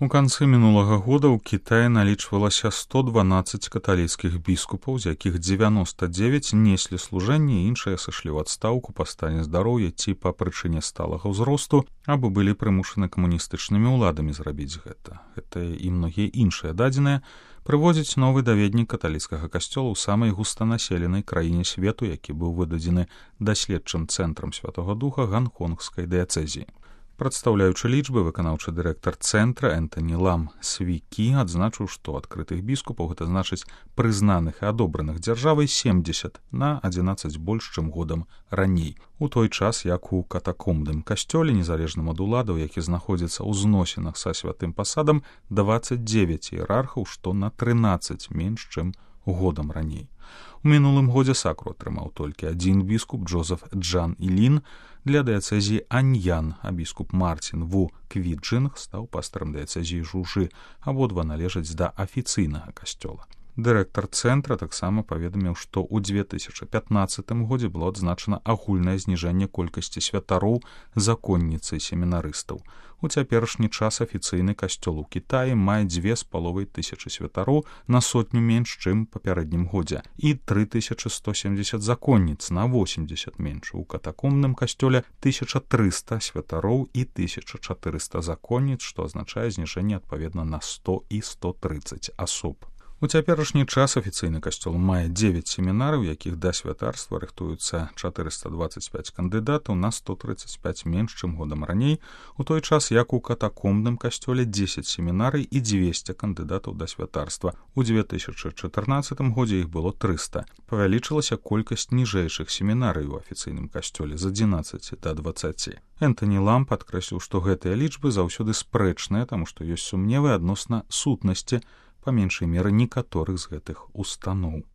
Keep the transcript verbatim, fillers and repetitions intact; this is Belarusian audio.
У канцы мінулага года ў Кітаі налічвалася сто дванаццаць каталіцкіх біскупаў, з якіх дзевяноста дзевяць неслі служэнне, іншыя сышлі ў адстаўку па стане здароўя ці па прычыне сталага ўзросту, або былі прымушаны камуністычнымі ўладамі зрабіць гэта. Гэта і многія іншыя дадзеныя прыводзіць новы даведнік каталіцкага касцёла ў самай густанаселенай краіне свету, які быў выдадзены даследчым цэнтрам Святога Духа ганконгскай дыяцэзіі. Прадстаўляючы лічбы, выканаўчы дырэктар цэнтра Энтані Лам Свікі адзначыў, што адкрытых біскупаў, гэта значыць прызнаных і адобраных дзяржавай, семдзесят на адзінаццаць больш, чым годам раней. У той час, як у катакомбным касцёле, незалежным ад уладаў, які знаходзіцца ў зносінах са святым пасадам, дваццаць дзевяць іерархаў, што на трынаццаць менш, чым годам раней. У мінулым годзе сакру атрымаў толькі адзін біскуп Джозеф Джан Ілін для дыяцэзіі Аньян, а біскуп Мартін Ву Квіджинг стаў пастарам дыяцэзіі Жужы, абодва належаць да афіцыйнага касцёла. Дырэктар цэнтра таксама паведаміў, што ў две тысячы пятнаццатым годзе было адзначана агульнае зніжэнне колькасці святароў, законніцы і семінарыстаў. У цяперашні час афіцыйны касцёл у Кітаі мае дзве з паловай тысячы святароў, на сотню менш, чым папярэднім годзе, і тры тысячы сто семдзесят законніц, на восемьдесят менш. У катакомбным касцёле тысяча трыста святароў і тысяча чатырыста законніц, што азначае зніжэнне адпаведна на сто і сто трыццаць асоб. У цяперашні час афіцыйны касцёл мае дзевяць семінараў, якіх да святарства рыхтуюцца чатырыста дваццаць пяць кандыдатаў, на сто трыццаць пяць менш, чым годам раней, у той час як у катакомбным касцёле дзесяць семінарый і дзвесце кандыдатаў да святарства. У две тысячы чатырнаццатым годзе іх было трыста. Павялічылася колькасць ніжэйшых семінарый у афіцыйным касцёле з адзінаццаці да дваццаці. Энтані Лам падкрэсліў, што гэтыя лічбы заўсёды спрэчныя, таму што ёсць сумневы адносна сутнасці па меншай меры некаторых з гэтых устаноў.